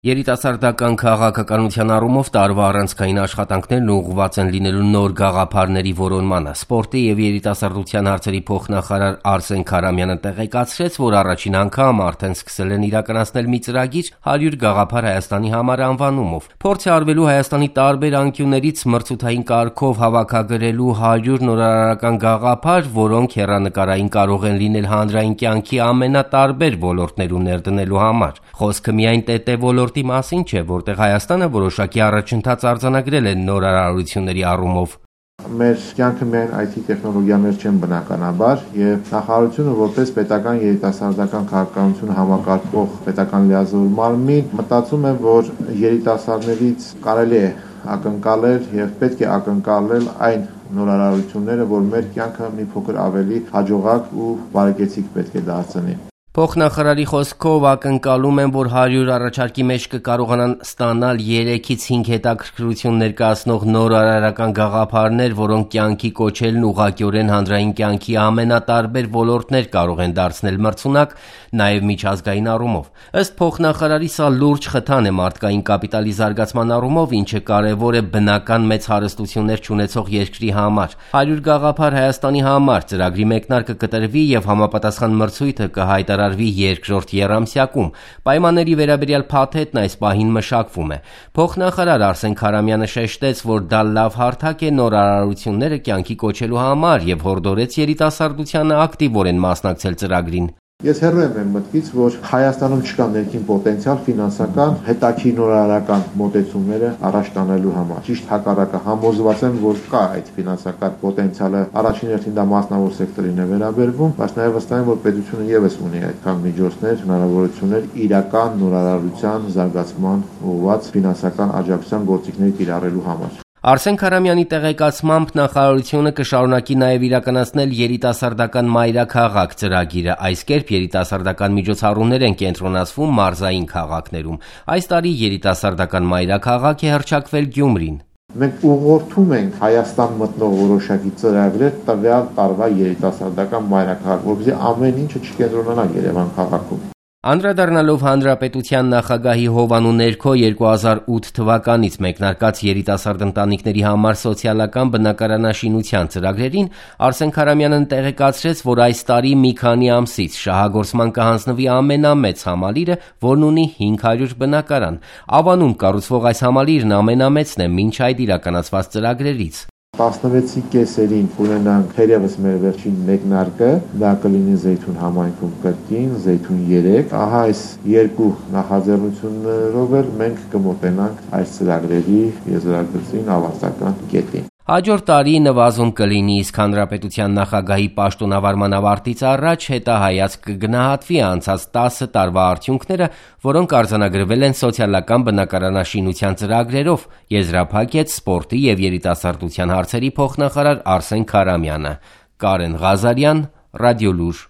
Երիտասարդական քաղաքականության առումով տարվա առանցքային աշխատանքներն ուղղված են լինելու նոր գաղափարների որոնմանը։ Սպորտի եւ երիտասարդության հարցերի փոխնախարար Արսեն Քարամյանը տեղեկացրեց, որ առաջին անգամ արդեն սկսել են իրականացնել մի ծրագիր 100 գաղափար Հայաստանի համար անվանումով։ Փորձ է արվելու Հայաստանի տարբեր անկյուններից մրցութային կարգով հավաքագրելու 100 նորարարական գաղափար, որոնք հեռանկարային կարող են լինել հանրային կյանքի ամենատարբեր ոլորտներում ներդնելու համար։ Խոսքը միայն ՏՏ ոլորտի մասին չէ, որտեղ Հայաստանը որոշակի առաջընթաց արձանագրել է նորարարությունների առումով։ Մեր կյանքը միայն IT տեխնոլոգիաներ չեն բնականաբար, եւ նախարարությունը որպես պետական երիտասարդական քաղաքականություն համակարգող պետական լիազոր մարմին մտածում է, որ երիտասարդներից կարելի է ակնկալել եւ պետք է ակնկալել այն նորարարությունները, որ մեր կյանքը մի փոքր ավելի հաջողակ ու բարեկեցիկ պետք է դարձնի։ Փոխնախարարի խոսքով ակնկալում են, որ 100 առաջարկի մեջ կկարողանան ստանալ 3-ից 5 հետաքրքրություն ներկայացնող նորարարական գաղափարներ, որոնք կյանքի կոչելն ուղղակիորեն հանրային կյանքի ամենատարբեր ոլորտներ կարող են դարձնել մրցունակ, նաև միջազգային առումով։ Ըստ փոխնախարարի, սա լուրջ խթան է մարդկային կապիտալի զարգացման առումով, ինչը կարևոր է բնական մեծ հարստություններ չունեցող երկրի համար։ 100 գաղափար Հայաստանի համար ծրագրի մեկնարկը կտրվի եւ համապատասխան մրցույթը կհայտարարվի երկրորդ եռամսյակում։ Պայմանների վերաբերյալ փաթեթն այս պահին մշակվում է։ Փոխնախարար Արսեն Քարամյանը շեշտեց, որ դա լավ հարթակ է նորարարությունները կյանքի կոչելու համար եւ հորդորեց երիտասարդությանը ակտիվորեն մասնակցել ծրագրին։ Ես հեռու եմ մտքից, որ Հայաստանում չկա ներքին պոտենցիալ ֆինանսական հետաքրքիր նորարարական մոտեցումները առաջ տանելու համար։ Ճիշտ հակառակը, համոզված եմ, որ կա այդ ֆինանսական պոտենցիալը, առաջին հերթին դա մասնավոր սեկտորին է վերաբերվում, բայց նաև վստահ եմ, որ պետությունը եւս ունի այդքան միջոցներ, հնարավորություններ իրական նորարարության զարգացման ուղղված ֆինանսական աջակցության գործիքներ կիրառելու համար։ Արսեն Քարամյանի տեղեկացմամբ նախարարությունը կշարունակի նաև իրականացնել երիտասարդական մայրաքաղաք ծրագիրը։ Այս կերպ երիտասարդական միջոցառումներ են կենտրոնացվում մարզային քաղաքներում։ Այս տարի երիտասարդական մայրաքաղաք է հռչակվել Գյումրին։ Մենք ուղղորդում ենք Հայաստան մտնող որոշակի ծրագրեր տվյալ տարվա երիտասարդական մայրաքաղաք, որպեսզի ամեն ինչը չկենտրոնանա Երևան քաղաքում։ Անդրադառնալով Հանրապետության նախագահի հովանու ներքո 2008 թվականից մեկնարկած երիտասարդ ընտանիքների համար սոցիալական բնակարանաշինության ծրագրերին, Արսեն Քարամյանն տեղեկացրեց, որ այս տարի մի քանի ամսից շահագործման կհանձնվի ամենամեծ համալիրը, որն ունի 500 բնակարան։ Ավանում կառուցվող այս համալիրն ամենամեծն է մինչ այդ իրականացված ծրագրերից։ 16-ի կեսերին ունենանք թերևս մեր վերջին մեկնարկը, դա կլինի Զեյթուն համայնքում կրկին, Զեյթուն 3։ Ահա այս երկու նախաձեռնություններով էլ մենք կմոտենանք այս ծրագրերի եզրակացին ավարտական կետին։ Հաջորդ տարի նվազում կլինի, իսկ Հանրապետության նախագահի պաշտոնավարման ավարտից առաջ հետահայացք կգնահատվի անցած 10 տարվա արդյունքները, որոնք արձանագրվել են սոցիալական բնակարանաշինության ծրագրերով, եզրափակեց սպորտի եւ երիտասարդության հարցերի փոխնախարար Արսեն Քարամյանը։ Կարեն Ղազարյան, Ռադիոլուր։